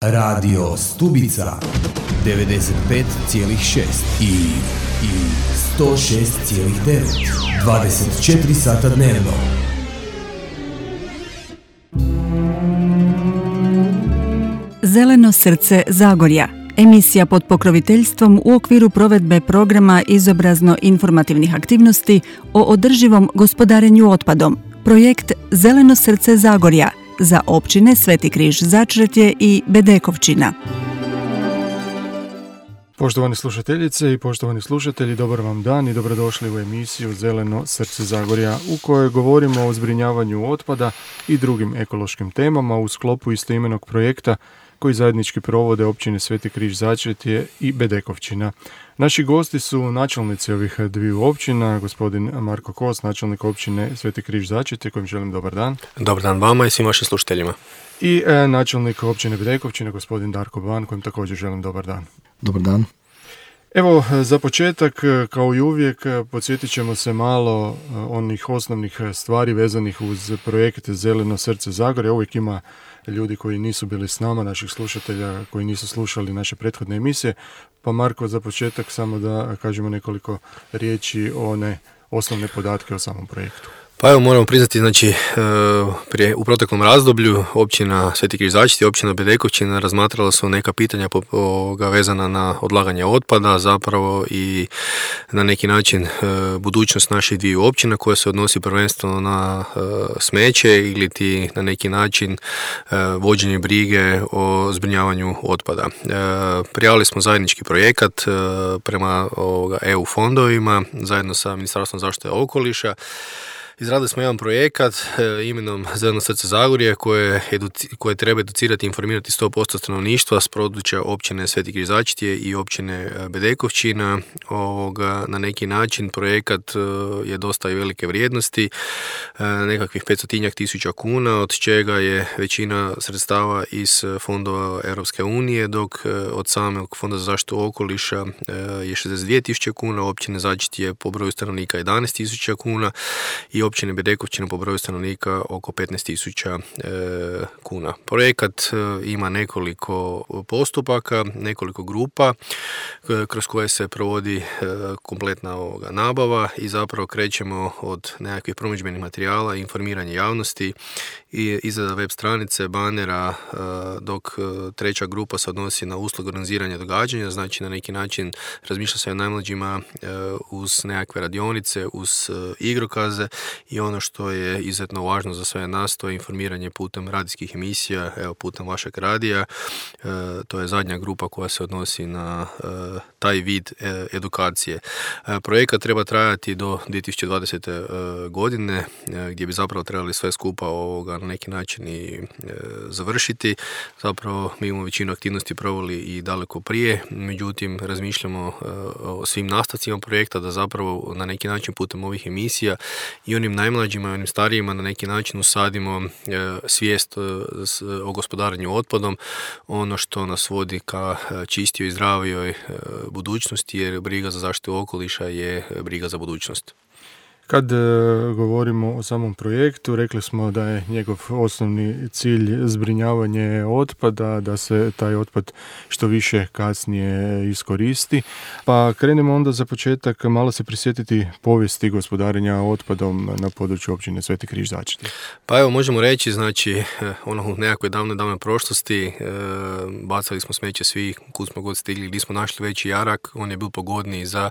Radio Stubica 95,6 i 106,9 24 sata dnevno. Zeleno srce Zagorja. Emisija pod pokroviteljstvom u okviru provedbe programa izobrazno-informativnih aktivnosti o održivom gospodarenju otpadom. Projekt Zeleno srce Zagorja za općine Sveti Križ Začretje i Bedekovčina. Poštovane slušateljice i poštovani slušatelji, dobar vam dan i dobrodošli u emisiju Zeleno srce Zagorja u kojoj govorimo o zbrinjavanju otpada i drugim ekološkim temama u sklopu istoimenog projekta koji zajednički provode općine Sveti Križ Začretje i Bedekovčina. Naši gosti su načelnici ovih dviju općina, gospodin Marko Kos, načelnik općine Sveti Križ Začretje, kojem želim dobar dan. Dobar dan vama i svim vašim slušateljima. I načelnik općine Bedekovčina, gospodin Darko Ban, kojem također želim dobar dan. Dobar dan. Evo, za početak, kao i uvijek, podsjetit ćemo se malo onih osnovnih stvari vezanih uz projekt Zeleno srce Zagorja. Uvijek ima ljudi koji nisu bili s nama, naših slušatelja koji nisu slušali naše prethodne emisije. Pa Marko, za početak samo da kažemo nekoliko riječi o one osnovne podatke o samom projektu. Pa evo, moramo priznati, znači, u proteklom razdoblju općina Sveti Križ Začretje i općina Bedekovčina razmatrala su neka pitanja vezana na odlaganje otpada, zapravo i na neki način budućnost naših dviju općina koja se odnosi prvenstveno na smeće ili ti na neki način vođenje brige o zbrinjavanju otpada. Prijavili smo zajednički projekat prema EU fondovima zajedno sa Ministarstvom zaštite okoliša. Izradili smo jedan projekat imenom Zeleno srce Zagorje koje treba educirati i informirati 100% stanovništva s područja općine Sveti Križ Začretje i općine Bedekovčina. Na neki način projekat je dosta i velike vrijednosti, nekakvih 500.000 kuna, od čega je većina sredstava iz fondova Europske unije, dok od samog Fonda za zaštitu okoliša je 62.000 kuna, općine Začretje po broju stanovnika 11.000 kuna i općine Bedekovčina po broju stanovnika oko 15.000 kuna. Projekat ima nekoliko postupaka, nekoliko grupa kroz koje se provodi kompletna nabava i zapravo krećemo od nekakvih promidžbenih materijala, informiranje javnosti i izrada web stranice, banera, dok treća grupa se odnosi na uslugu organiziranja događanja, znači na neki način razmišlja se o najmlađima uz nekakve radionice, uz igrokaze i ono što je izuzetno važno za sve nas, to je informiranje putem radijskih emisija, evo putem vašeg radija. To je zadnja grupa koja se odnosi na taj vid edukacije. Projekat treba trajati do 2020. godine, gdje bi zapravo trebali sve skupa na neki način i završiti. Zapravo mi imamo većinu aktivnosti proveli i daleko prije, međutim razmišljamo o svim nastavcima projekta da zapravo na neki način putem ovih emisija i onim najmlađima i onim starijima na neki način usadimo svijest o gospodarenju otpadom, ono što nas vodi ka čistijoj i zdravijoj budućnosti, jer briga za zaštitu okoliša je briga za budućnost. Kad govorimo o samom projektu, rekli smo da je njegov osnovni cilj zbrinjavanje otpada, da se taj otpad što više kasnije iskoristi. Pa krenemo onda za početak malo se prisjetiti povijesti gospodarenja otpadom na području općine Sveti Križ Začretje. Pa evo, možemo reći, znači, u nekakvoj davnoj prošlosti bacali smo smeće svi, kud smo god stigli, gdje smo našli veći jarak, on je bil pogodniji za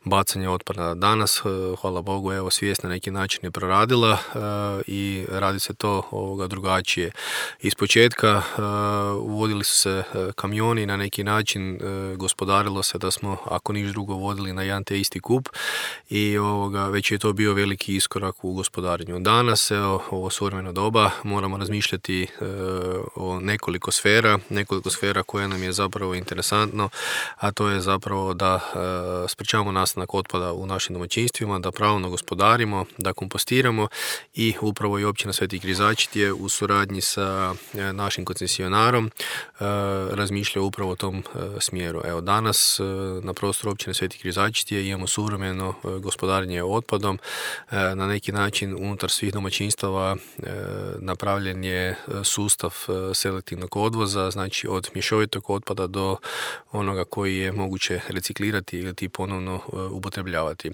bacanje otpada. Danas, hvala Bogu, evo, svijest na neki način je proradila i radi se to drugačije. Iz početka uvodili su se kamioni, na neki način gospodarilo se da smo, ako niš drugo, vodili na jedan te isti kup i već je to bio veliki iskorak u gospodarenju. Danas, ovo suvremeno doba, moramo razmišljati o nekoliko sfera koje nam je zapravo interesantno, a to je zapravo da sprečavamo nastanak otpada u našim domaćinstvima, da pravilno gospodarimo gospodarimo, da kompostiramo i upravo i općina Sveti Križačiti je u suradnji sa našim koncesionarom razmišlja upravo u tom smjeru. Evo, danas na prostoru općine Sveti Križačiti imamo suvremeno gospodarenje otpadom. Na neki način unutar svih domaćinstava napravljen je sustav selektivnog odvoza, znači od mješovitog otpada do onoga koji je moguće reciklirati ili ponovno upotrebljavati.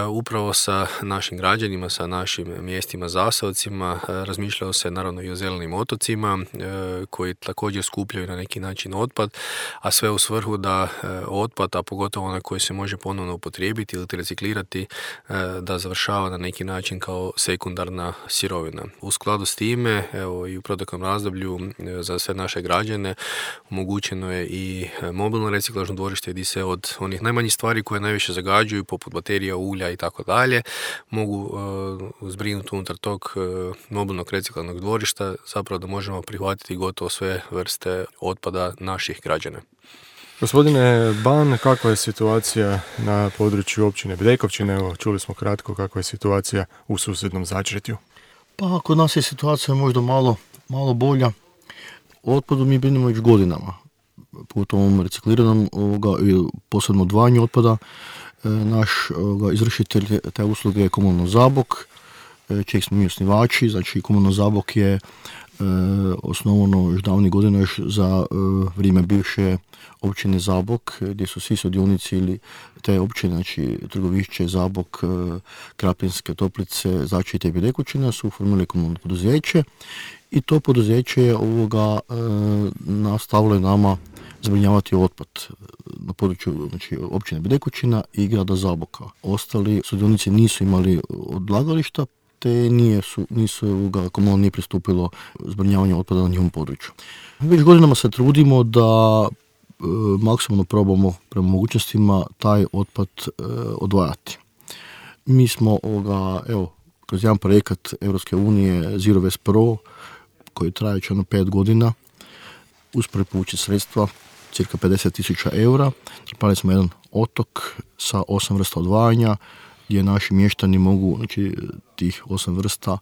Upravo sa našim građanima, sa našim mjestima zaseocima razmišljalo se naravno i o zelenim otocima koji također skupljaju na neki način otpad, a sve u svrhu da otpad, a pogotovo onaj koji se može ponovno upotrijebiti ili reciklirati, da završava na neki način kao sekundarna sirovina. U skladu s time, evo i u proteklom razdoblju za sve naše građane omogućeno je i mobilno reciklažno dvorište gdje se od onih najmanjih stvari koje najviše zagađuju, poput baterija, ulja i tako dalje, mogu zbrinuti unutar tog mobilnog reciklažnog dvorišta, zapravo da možemo prihvatiti gotovo sve vrste otpada naših građana. Gospodine Ban, kakva je situacija na području općine Bedekovčina? Evo, čuli smo kratko kakva je situacija u susjednom Začretju. Pa kod nas je situacija možda malo bolja. O otpadu mi brinemo već godinama. Pogotovo ovom recikliranom i posebno odvajanju otpada. Naš izvršitelj te usluge je Komunalno Zabok, čijeg smo mi osnivači. Znači, Komunalno Zabok je osnovano još davnih godina još za vrijeme bivše općine Zabok, gdje su svi sudionici ili te općine, znači Trgovišće, Zabok, Krapinske Toplice, Začretje i Bedekovčina su formirali komunalno poduzeće i to poduzeće je nastavilo nama zbrinjavati otpad na području, znači, općine Bedekovčina i grada Zaboka. Ostali sudionici nisu imali odlagališta, te komunalno nije pristupilo zbrinjavanju otpada na njihovom području. Već godinama se trudimo da maksimalno probamo prema mogućnostima taj otpad odvajati. Mi smo kroz jedan projekat Europske unije Zero Waste Pro, koji traje već 5 godina, uspjeli povući sredstva, cirka 50.000 eura. Napravili smo jedan otok sa 8 vrsta odvajanja, gdje naši mještani mogu, znači, tih 8 vrsta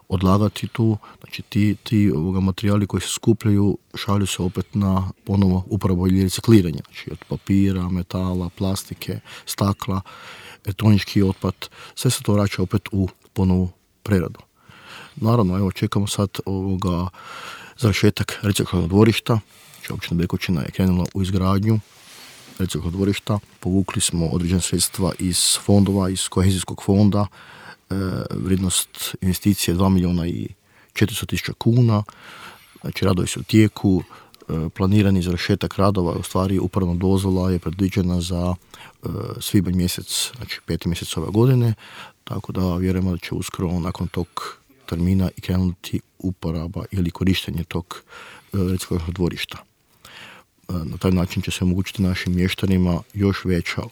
odlagati tu. Znači, ti materijali koji se skupljaju šalju se opet na ponovo uporabu ili recikliranje. Znači, od papira, metala, plastike, stakla, elektronički otpad, sve se to vraća opet u ponovu preradu. Naravno, evo, čekamo sad završetak reciklažnog dvorišta. Znači, općina Bedekovčina je krenula u izgradnju reciklažnog dvorišta. Povukli smo određene sredstva iz fondova, iz kohezijskog fonda. Vrijednost investicije je 2.400.000 kuna. Znači, radovi su u tijeku. Planirani završetak radova, u stvari upravna dozvola je predviđena za svibanj mjesec, znači 5. mjesec ove godine, tako da vjerujemo da će uskoro nakon tog termina i krenuti uporaba ili korištenje tog reciklažnog dvorišta. Na taj način će se omogućiti našim mještanima još veća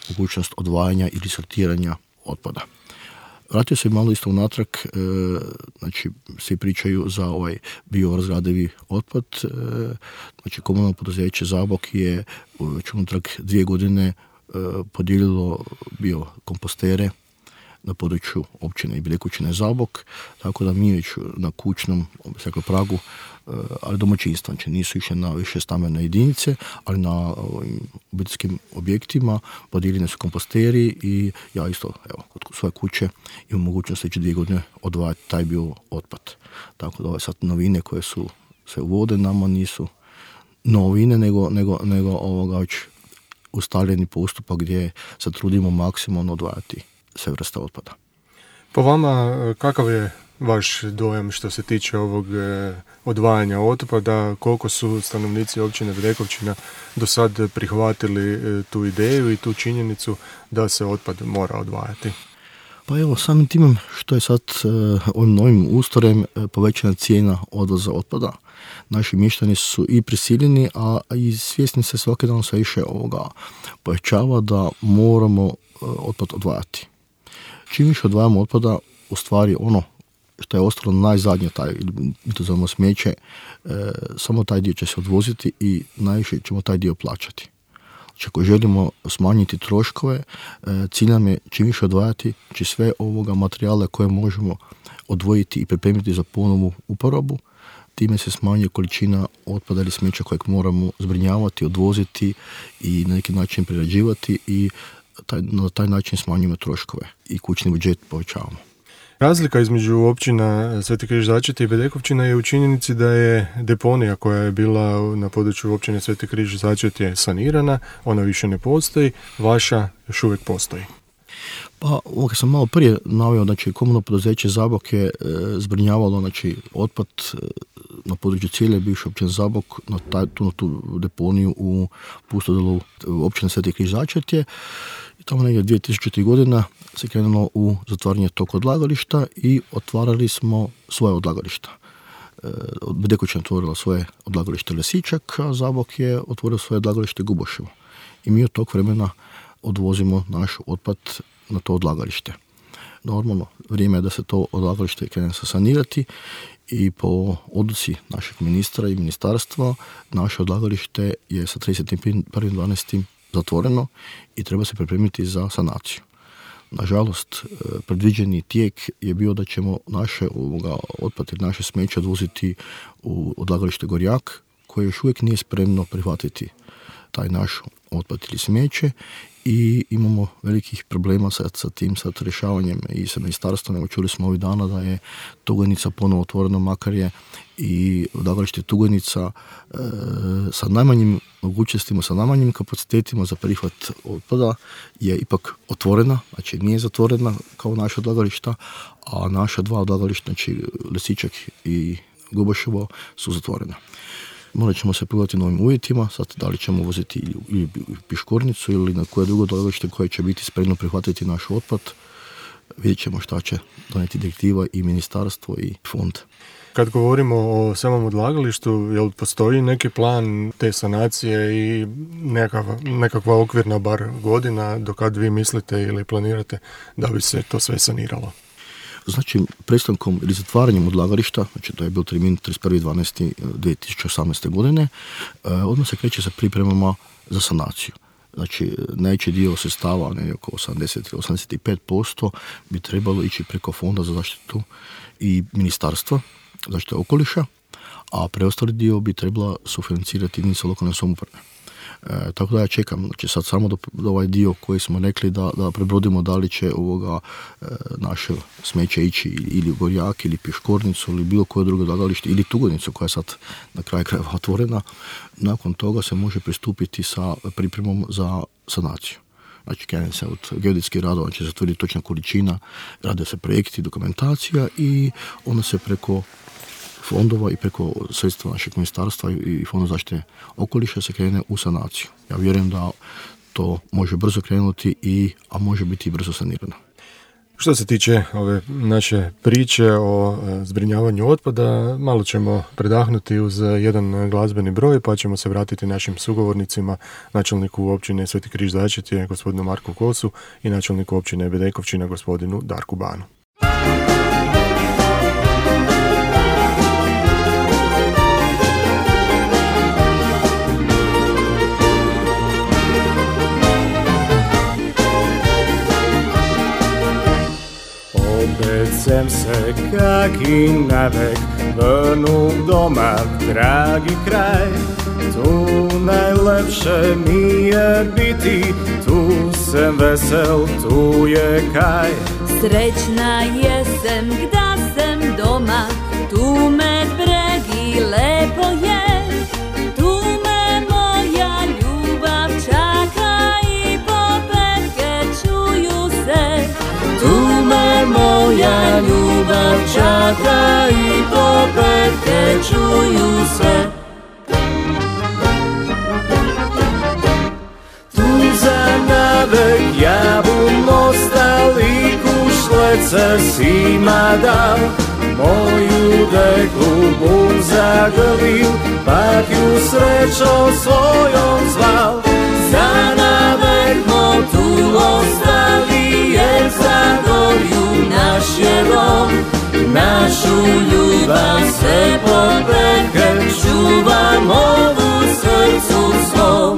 mogućnost odvajanja ili sortiranja otpada. Vratio se malo isto unatrag, znači svi pričaju za ovaj biorazgradivi otpad. Znači, komunalno poduzeće Zabok je već unatrag 2 godine podijelilo biokompostere na području općine i Bedekovčine Zabok, tako da mi već na kućnom pragu, ali domaćinstva, znači nisu išli na više stambene jedinice, ali na obiteljskim objektima podijeljeni su komposteri i ja isto, evo, kod svoje kuće imam mogućnost već 2 godine odvajati taj bio otpad. Tako da ove sad novine koje su se uvode nama nisu novine, nego već ustaljeni postupak gdje se trudimo maksimalno odvajati sve vrste otpada. Po vama, kakav je vaš dojam što se tiče ovog odvajanja otpada? Koliko su stanovnici općine Bedekovčina do sad prihvatili tu ideju i tu činjenicu da se otpad mora odvajati? Pa evo, samim timom što je sad ovim novim ustrojem povećana cijena odvoza otpada, naši mještani su i prisiljeni, a i svjesni se svaki dan sve više povećava da moramo otpad odvajati. Čim više odvajamo otpada, u stvari ono što je ostalo najzadnje, mi to zovemo smeće, samo taj dio će se odvoziti i najviše ćemo taj dio plaćati. Ako želimo smanjiti troškove, cilj nam je čim više odvajati sve ovoga materijala koje možemo odvojiti i pripremiti za ponovnu uporabu. Time se smanjuje količina otpada ili smeća kojeg moramo zbrinjavati, odvoziti i na neki način prerađivati i na taj način smanjujemo troškove i kućni budžet povećavamo. Razlika između općina Sveti Križ Začetje i Bedekovčina je u činjenici da je deponija koja je bila na području općine Sveti Križ Začetje sanirana, ona više ne postoji, vaša još uvijek postoji. Pa, ovdje sam malo prije naveo, znači komunalno poduzeće Zabok je zbrinjavalo otpad na području cijele bivše općine Zabok na tu deponiju u Pustodolu općine Sveti Križ Začetje. I tamo negdje 2000. godina se krenulo u zatvaranje tog odlagališta i otvarali smo svoje odlagališta. Bedekovčina otvorila svoje odlagalište Lesičak, a Zabok je otvorio svoje odlagalište Guboševo. I mi od tog vremena odvozimo naš otpad na to odlagalište. Normalno, vrijeme je da se to odlagalište krene sanirati i po odluci našeg ministra i ministarstva naše odlagalište je sa 31.12. zatvoreno i treba se pripremiti za sanaciju. Nažalost, predviđeni tijek je bio da ćemo naše otpad i naše smeće odvoziti u odlagalište Gorjak, koje još uvijek nije spremno prihvatiti taj naš otpad ili smeće i imamo velikih problema sa tim rješavanjem i sa ministarstvom. Evo, čuli smo ovih dana da je Tugojnica ponovo otvoreno, makar je i odlagalište Tugojnica sa najmanjim mogućnostima, sa najmanjim kapacitetima za prihvat otpada je ipak otvorena, znači nije zatvorena kao naša odlagališta, a naša dva odlagališta, znači Lesičak i Guboševo, su zatvorena. Morat ćemo se pogledati novim uvjetima, sad da li ćemo voziti ili Piškornicu ili na koje drugo odlagalište koje će biti spremno prihvatiti naš otpad. Vidjet ćemo šta će donijeti direktiva i ministarstvo i fond. Kad govorimo o samom odlagalištu, jel postoji neki plan te sanacije i nekakva okvirna bar godina do kad vi mislite ili planirate da bi se to sve saniralo? Znači, prestankom ili zatvaranjem odlagališta, znači to je bio termin 31.12.2018. godine, odmah se kreće sa pripremama za sanaciju. Znači, najveći dio sredstava, ne oko 80-85%, bi trebalo ići preko Fonda za zaštitu i ministarstva zaštite okoliša, a preostali dio bi trebala sufinancirati jedinica lokalne samouprave. Tako da ja čekam, znači sad samo do ovaj dio koji smo rekli da prebrodimo da li će naše smeće ići ili u Gorjak ili Piškornicu ili bilo koje drugo odlagalište ili Tugojnicu koja je sad na kraju krajeva otvorena. Nakon toga se može pristupiti sa pripremom za sanaciju. Znači, krene se od geodetskih radova, će se utvrditi točna količina, rade se projekti, dokumentacija i onda se preko fondova i preko sredstva našeg ministarstva i Fonda zaštite okoliša se krene u sanaciju. Ja vjerujem da to može brzo krenuti, a može biti i brzo sanirano. Što se tiče ove naše priče o zbrinjavanju otpada, malo ćemo predahnuti uz jedan glazbeni broj, pa ćemo se vratiti našim sugovornicima, načelniku općine Sveti Križ Začetje, gospodinu Marku Kosu, i načelniku općine Bedekovčina, gospodinu Darku Banu. Opet sem se kak i navek vrnu doma, dragi kraj. Tu najlepše mi je biti, tu sem vesel, tu je kaj. Srećna jesem gda sem doma, tu me bregi lepo je. Tu me moja ljubav čaka i popetke čuju se. Tu me moja ljubav čaka i popetke čuju se. Tu za navek jabun ostali kušlece sima dal. Moju deklu bum zagrlil, pak ju srećom svojom zval. Za navek mo tu ostali, jer Zagorju naš je dom. Našu ljubav sve popetke čuvam ovu srcu svom.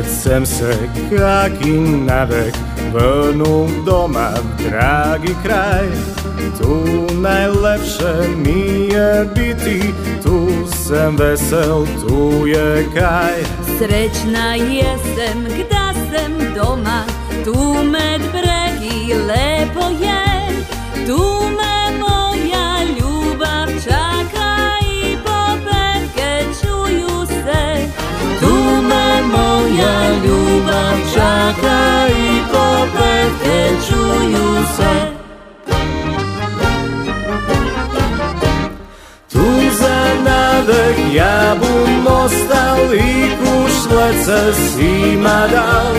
Opet sem se kak i navek vrnu doma v dragi kraj. Tu najlepše mi je biti, tu sem vesel, tu je kaj. Srećna jesem gda sem doma, tu med bregi lepo je. Tu me moja ljubav čaka i popevke čuju se. Tu me moja ljubav čaka i popevke čuju se. Tu za navek jabun ostal i kušlece svima dal.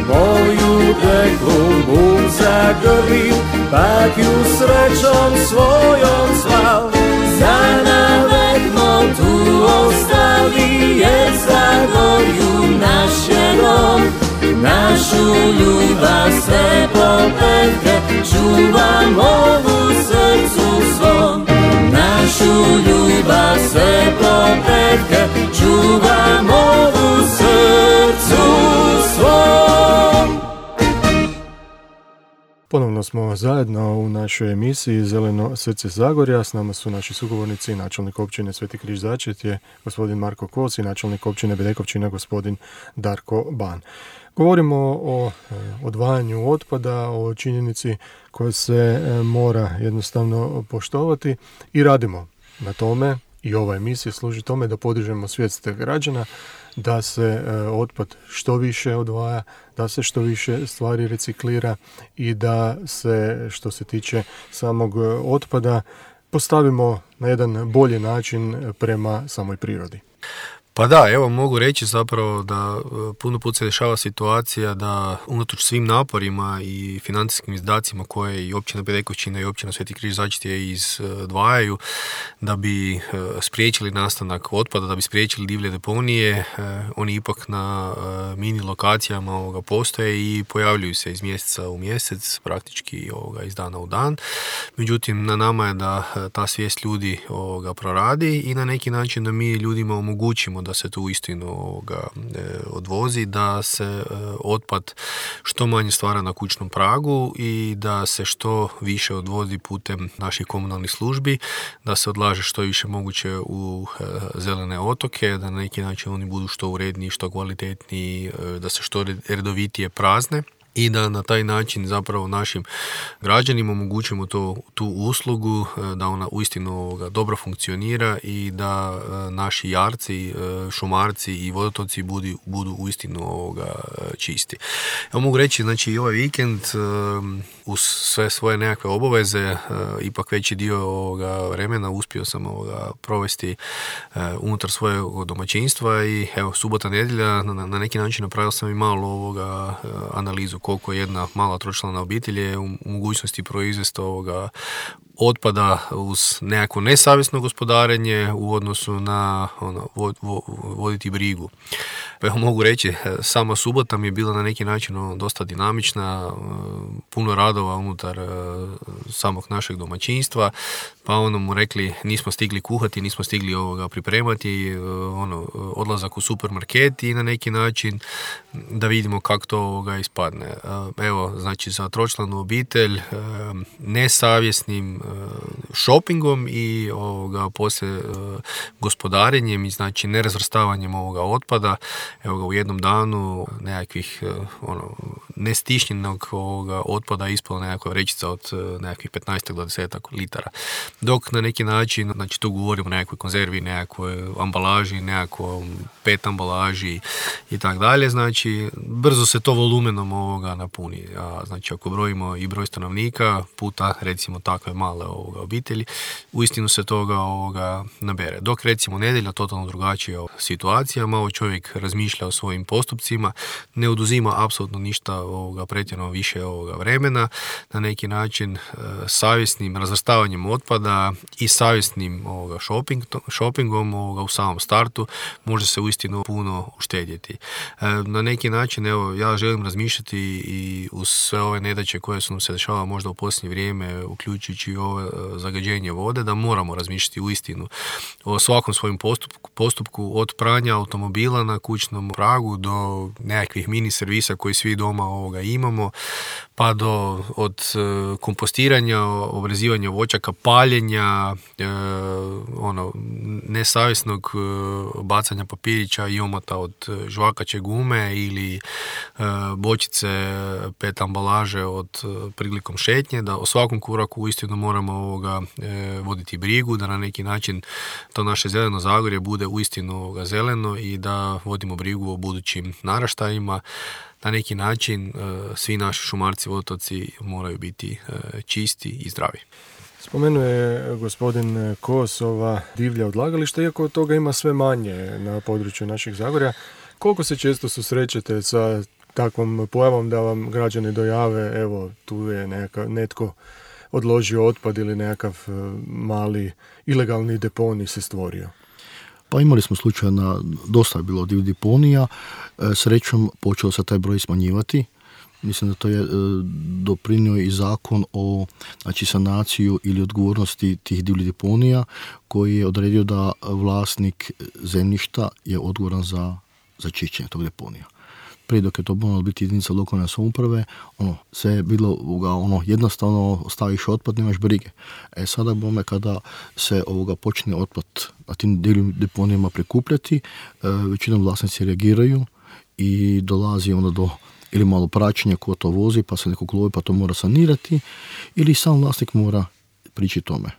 Moju deklu bum zagrlil, pak ju srećom svojom zval. Za navek mo tu ostali, jer Zagorju naš je dom. Našu ljubav sve popevke čuvam ovu srcu svom. Našu ljubav sve popevke čuvam ovu srcu svom. Ponovno smo zajedno u našoj emisiji Zeleno srce Zagorja. S nama su naši sugovornici, načelnik općine Sveti Križ Začetje, gospodin Marko Kos, i načelnik općine Bedekovčina, gospodin Darko Ban. Govorimo o odvajanju otpada, o činjenici koja se mora jednostavno poštovati i radimo na tome, i ova emisija služi tome da podižemo svijest građana, da se otpad što više odvaja, da se što više stvari reciklira i da se, što se tiče samog otpada, postavimo na jedan bolji način prema samoj prirodi. Pa da, evo mogu reći zapravo da puno put se dešava situacija da unatoč svim naporima i financijskim izdacima koje i općina Bedekovčina i općina Sveti Križ Začetje izdvajaju da bi spriječili nastanak otpada, da bi spriječili divlje deponije, oni ipak na mini lokacijama postoje i pojavljuju se iz mjeseca u mjesec, praktički iz dana u dan. Međutim, na nama je da ta svijest ljudi proradi i na neki način da mi ljudima omogućimo da se tu uistinu odvozi, da se otpad što manje stvara na kućnom pragu i da se što više odvozi putem naših komunalnih službi, da se odlaže što više moguće u zelene otoke, da na neki način oni budu što uredniji, što kvalitetniji, da se što redovitije prazne. I da na taj način zapravo našim građanima omogućimo tu uslugu, da ona uistinu dobro funkcionira i da naši jarci, šumarci i vodotoci budu uistinu čisti. Ja mogu reći, znači i ovaj vikend uz sve svoje nekakve obaveze, ipak veći dio vremena uspio sam provesti unutar svojeg domaćinstva i evo, subota, nedjelja, na neki način napravio sam i malo analizu koliko jedna mala tročlana obitelj je u mogućnosti proizvesti otpada uz nekako nesavjesno gospodarenje u odnosu na voditi brigu. Evo mogu reći, sama subota mi je bila na neki način dosta dinamična, puno radova unutar samog našeg domaćinstva, pa mu rekli nismo stigli kuhati, nismo stigli pripremati, odlazak u supermarket i na neki način da vidimo kako to ispadne. Evo, znači za tročlanu obitelj nesavjesnim shoppingom i poslije gospodarenjem i znači nerazvrstavanjem otpada, evo ga u jednom danu nekakvih nestišnjenog otpada ispala nekakva vrećica od nekakvih 15 do 10 litara. Dok na neki način, znači tu govorimo o nekakvoj konzervi, nekakvoj ambalaži, nekakvom PET ambalaži i tako dalje, znači brzo se to volumenom napuni. Znači ako brojimo i broj stanovnika puta recimo takve male obitelji, uistinu se toga nabere. Dok recimo nedjelja totalno drugačija situacija, malo čovjek razmišlja o svojim postupcima, ne oduzima apsolutno ništa pretjerano više vremena, na neki način savjesnim razvrstavanjem otpada i savjesnim shoppingom u samom startu može se uistinu puno uštedjeti. Na neki način, evo, ja želim razmišljati i uz sve ove nedaće koje su nam se dešavale možda u posljednje vrijeme, uključujući ove zagađenje vode, da moramo razmišljati uistinu o svakom svojem postupku od pranja automobila na kućnom pragu do nekakvih mini servisa koji svi doma imamo, pa od kompostiranja, obrezivanja voćaka, paljenja, nesavjesnog bacanja papirića i omota od žvakaće gume ili bočice PET ambalaže prilikom šetnje, da o svakom koraku uistinu moramo voditi brigu, da na neki način to naše zeleno Zagorje bude uistinu zeleno i da vodimo brigu o budućim naraštajima. Na neki način svi naši šumarci, vodotoci moraju biti čisti i zdravi. Spomenuo je gospodin Kos ova divlja odlagališta, iako od toga ima sve manje na području naših Zagorja. Koliko se često susrećete sa takvom pojavom da vam građani dojave, evo tu je netko odložio otpad ili nekakav mali ilegalni deponij se stvorio? Pa imali smo slučaja dosta je bilo divljih deponija, srećom počeo se taj broj smanjivati. Mislim da to je doprinio i zakon o sanaciju ili odgovornosti tih divljih deponija koji je odredio da vlasnik zemljišta je odgovoran za čišćenje tog deponija. Prije dok je to moralo biti jedinica lokalne samouprave, sve je bilo jednostavno staviš otpad, nemaš brige. Sada kada se počne otpad na tim divljim deponijama prikupljati, većinom vlasnici reagiraju i dolazi onda do ili malo praćenja ko to vozi, pa se nekog lovi, pa to mora sanirati, ili sam vlasnik mora prići tome.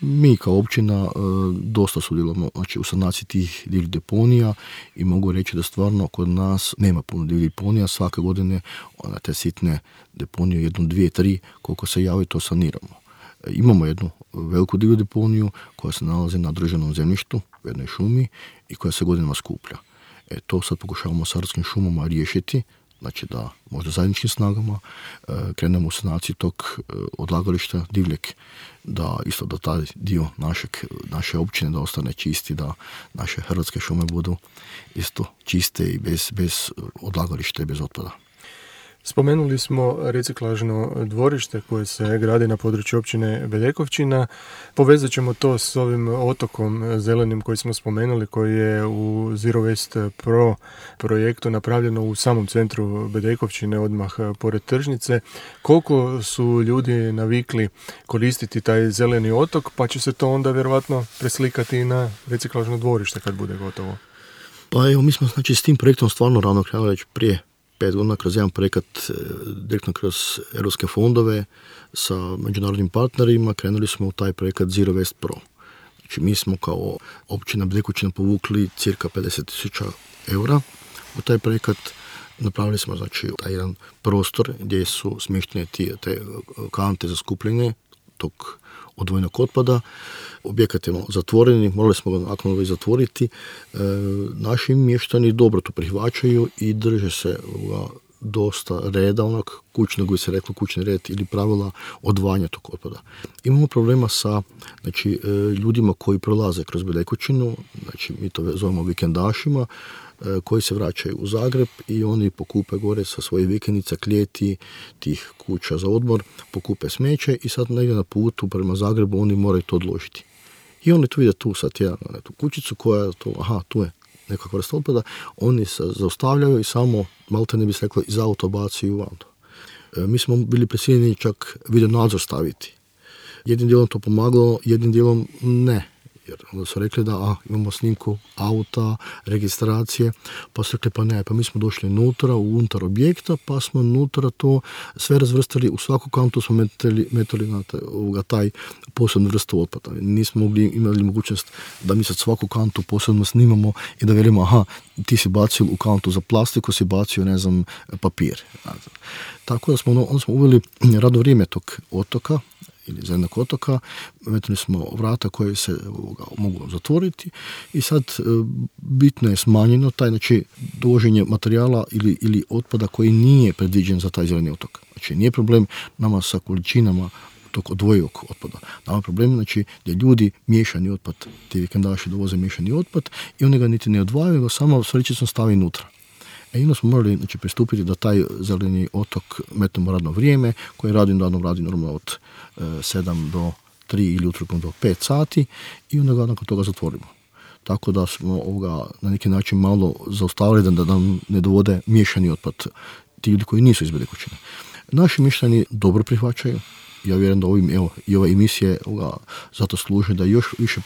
Mi kao općina dosta sudjelujemo u sanaciji tih divljih deponija i mogu reći da stvarno kod nas nema puno divljih deponija. Svake godine te sitne deponije, 1, 2, 3, koliko se javi to saniramo. Imamo jednu veliku divlju deponiju koja se nalazi na državnom zemljištu u jednoj šumi i koja se godinama skuplja. To sad pokušavamo s Hrvatskim šumama riješiti, znači da možda zajedničkim snagama krenemo u sanaciju tog odlagališta divljeg, da isto da taj dio naše općine da ostane čisti, da naše hrvatske šume budu isto čiste i bez odlagališta i bez otpada. Spomenuli smo reciklažno dvorište koje se gradi na području općine Bedekovčina. Povezat ćemo to s ovim otokom zelenim koji smo spomenuli, koji je u Zero Waste Pro projektu napravljeno u samom centru Bedekovčine, odmah pored tržnice. Koliko su ljudi navikli koristiti taj zeleni otok, pa će se to onda vjerojatno preslikati i na reciklažno dvorište kad bude gotovo? Pa evo, mi smo s tim projektom stvarno rano krenuli već prije 5 godina kroz jedan projekat direktno kroz europske fondove sa međunarodnim partnerima. Krenuli smo u taj projekat Zero Waste Pro. Znači mi smo kao općina Bedekovčina povukli cirka 50.000 eura u taj projekat. Napravili smo taj jedan prostor gdje su smještene te kante za skupljanje tog odvojenog otpada. Objekat je zatvoreni, morali smo ga nakon zatvoriti. Naši mještani dobro to prihvaćaju i drže se dosta reda, kućnog koji se reklo kućni red ili pravila odvajanja tog otpada. Imamo problema sa ljudima koji prolaze kroz Bedekovčinu, mi to zovemo vikendašima, koji se vraćaju u Zagreb i oni pokupe gore sa svojih vikendica, klijeti, tih kuća za odmor, pokupe smeće i sad negdje na putu prema Zagrebu oni moraju to odložiti. I oni tu vide tu sad tu kućicu koja je tu je nekakva vrsta otpada, oni se zaustavljaju i samo, malte ne bi se reklo, iz auto bacuju van. Mi smo bili prisiljeni čak video nadzor staviti. Jednim dijelom to pomagalo, jednim dijelom ne. Jer onda su rekli da imamo snimku auta, registracije, pa su rekli pa mi smo došli unutar objekta, pa smo unutra to sve razvrstali, u svaku kantu smo metali na taj posebnu vrstu otpada. Nismo imali mogućnost da mi sad svaku kantu posebno snimamo i da velimo ti si bacio u kantu za plastiku, si bacio papir. Tako da smo uveli radno vrijeme tog otoka, ili zelenog otoka, metnuli smo vrata koje se mogu zatvoriti i sad bitno je smanjeno dovoženje materijala ili otpada koji nije predviđen za taj zeleni otok. Znači nije problem nama sa količinama tog odvojivog otpada. Nama je problem gdje ljudi miješani otpad, ti vikendaši dovoze miješani otpad i oni ga niti ne odvajaju, nego samo srećicom stavi unutra. I onda smo morali pristupiti da taj zeleni otok metnemo radno vrijeme, koje radi normalno od 7 do 3 ili utorkom do 5 sati i onda ga nakon toga zatvorimo. Tako da smo na neki način malo zaustavili da nam ne dovode miješani otpad ti ljudi koji nisu iz Bedekućine. Naši mišljani dobro prihvaćaju. Ja vjerujem da i ove emisije zato služe da još više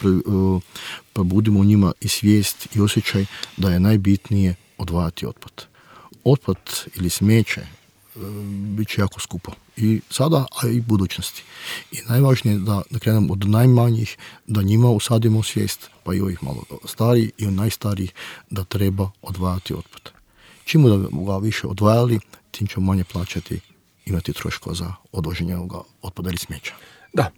probudimo u njima i svijest i osjećaj da je najbitnije odvajati otpad. Otpad ili smeće bit će jako skupo. I sada, a i budućnosti. I najvažnije je da krenemo od najmanjih, da njima usadimo svijest, pa i ovih malo starijih i od najstarijih, da treba odvajati otpad. Čim da ga više odvajali, tim ćemo manje plaćati, imati troškova za odvoženje otpada ili smeća. Da,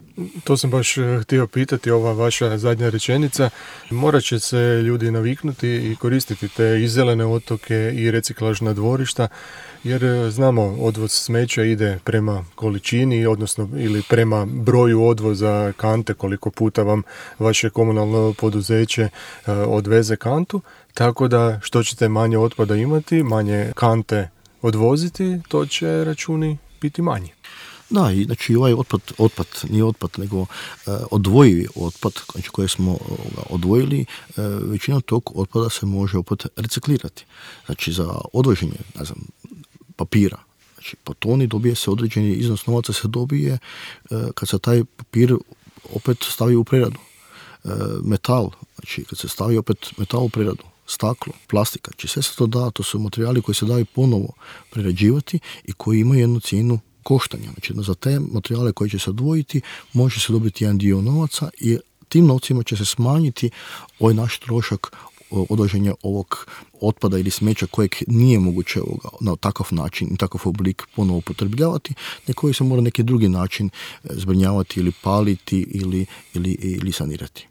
to sam baš htio pitati, ova vaša zadnja rečenica. Morat će se ljudi naviknuti i koristiti te i zelene otoke i reciklažna dvorišta, jer znamo, odvoz smeća ide prema količini, odnosno ili prema broju odvoza kante, koliko puta vam vaše komunalno poduzeće odveze kantu, tako da što ćete manje otpada imati, manje kante odvoziti, to će računi biti manji. Da, i znači ovaj otpad, nije otpad, nego odvojivi otpad, znači koji smo odvojili, većina tog otpada se može opet reciklirati. Znači za odvoženje, papira, znači po toni dobije se određeni iznos novaca se dobije kad se taj papir opet stavi u preradu. Metal, znači kad se stavi opet metal u preradu, staklo, plastika, znači sve se to da, to su materijali koji se daju ponovo prerađivati i koji imaju jednu cijenu koštanja. Znači za te materijale koje će se odvojiti može se dobiti jedan dio novaca i tim novcima će se smanjiti ovaj naš trošak odvoženja ovog otpada ili smeća kojeg nije moguće na takav način i takav oblik ponovo upotrebljavati, nego koji se mora neki drugi način zbrinjavati ili paliti ili sanirati.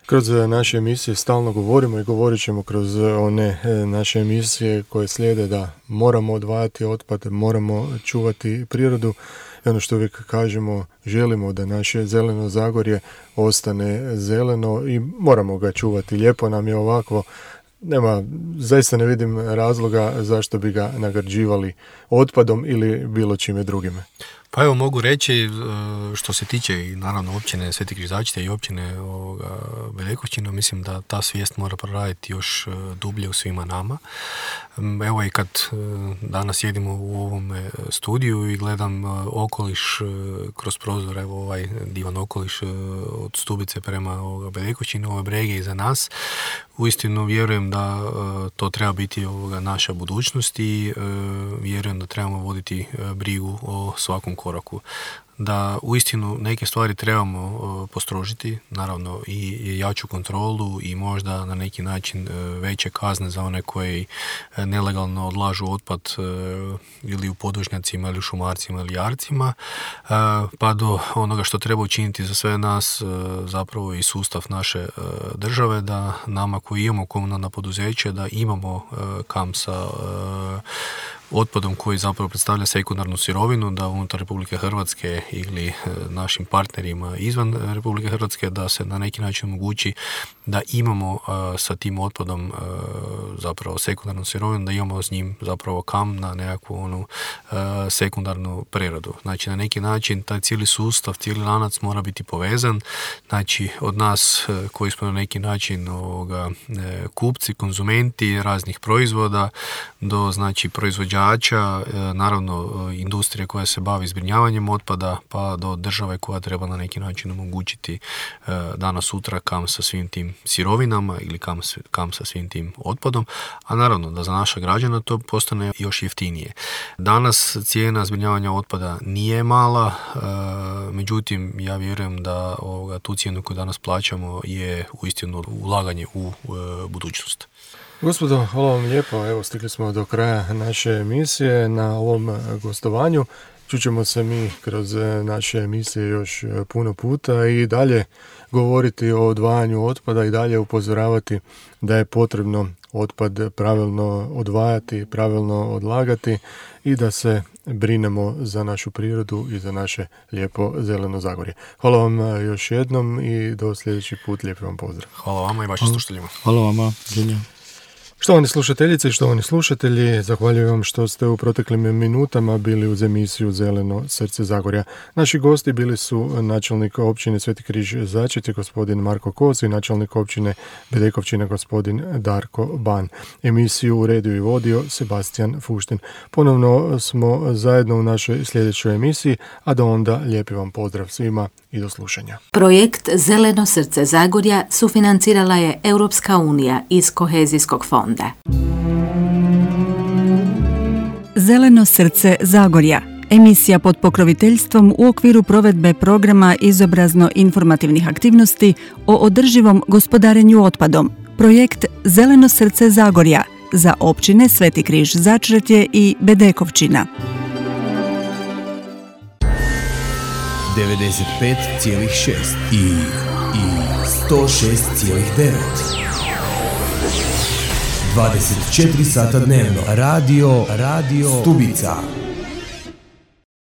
Kroz naše emisije stalno govorimo i govorit ćemo kroz one naše emisije koje slijede da moramo odvajati otpad, moramo čuvati prirodu i ono što uvijek kažemo, želimo da naše zeleno Zagorje ostane zeleno i moramo ga čuvati. Lijepo nam je ovako, zaista ne vidim razloga zašto bi ga nagrđivali otpadom ili bilo čime drugime. Pa evo mogu reći što se tiče i naravno općine Sveti Križačite i općine Bedekućina, mislim da ta svijest mora proraditi još dublje u svima nama. Evo i kad danas sjedimo u ovom studiju i gledam okoliš kroz prozor, evo ovaj divan okoliš od Stubice prema Bedekućinu, ove brege iza nas, uistinu vjerujem da to treba biti naša budućnost i vjerujem da trebamo voditi brigu o svakom koraku. Da uistinu neke stvari trebamo postrožiti, naravno i jaču kontrolu i možda na neki način veće kazne za one koji nelegalno odlažu otpad ili u podvožnjacima ili u šumarcima ili jarcima, pa do onoga što treba učiniti za sve nas, zapravo i sustav naše države, da nama koji imamo komunalna poduzeća, da imamo kam sa otpadom koji zapravo predstavlja sekundarnu sirovinu, da unutar Republike Hrvatske ili našim partnerima izvan Republike Hrvatske da se na neki način omogući da imamo sa tim otpadom zapravo sekundarnu sirovinu, da imamo s njim zapravo kam na nekakvu sekundarnu preradu. Znači na neki način taj cijeli sustav, cijeli lanac mora biti povezan. Znači od nas koji smo na neki način kupci, konzumenti raznih proizvoda do znači proizvođača, naravno industrije koja se bavi zbrinjavanjem otpada, pa do države koja treba na neki način omogućiti danas sutra kam sa svim tim sirovinama ili kam sa svim tim otpadom, a naravno da za naša građana to postane još jeftinije. Danas cijena zbrinjavanja otpada nije mala, međutim ja vjerujem da tu cijenu koju danas plaćamo je uistinu ulaganje u budućnost. Gospodo, hvala vam lijepo. Evo, stigli smo do kraja naše emisije na ovom gostovanju. Čućemo se mi kroz naše emisije još puno puta i dalje govoriti o odvajanju otpada i dalje upozoravati da je potrebno otpad pravilno odvajati, pravilno odlagati i da se brinemo za našu prirodu i za naše lijepo zeleno Zagorje. Hvala vam još jednom i do sljedeći put. Lijep vam pozdrav. Hvala vama i vašim slušateljima. Hvala vama. Štovani slušateljice i štovani slušatelji, zahvaljujem vam što ste u proteklim minutama bili uz emisiju Zeleno srce Zagorja. Naši gosti bili su načelnik općine Sveti Križ Začretje, gospodin Marko Kos, i načelnik općine Bedekovčina, gospodin Darko Ban. Emisiju uredio i vodio Sebastian Fuštin. Ponovno smo zajedno u našoj sljedećoj emisiji, a do onda lijepi vam pozdrav svima i do slušanja. Projekt Zeleno srce Zagorja sufinancirala je Europska unija iz kohezijskog fonda. Zeleno srce Zagorja, emisija pod pokroviteljstvom u okviru provedbe programa izobrazno-informativnih aktivnosti o održivom gospodarenju otpadom. Projekt Zeleno srce Zagorja za općine Sveti Križ Začretje i Bedekovčina. 95,6 i 106,9. 24 sata dnevno. Radio Stubica.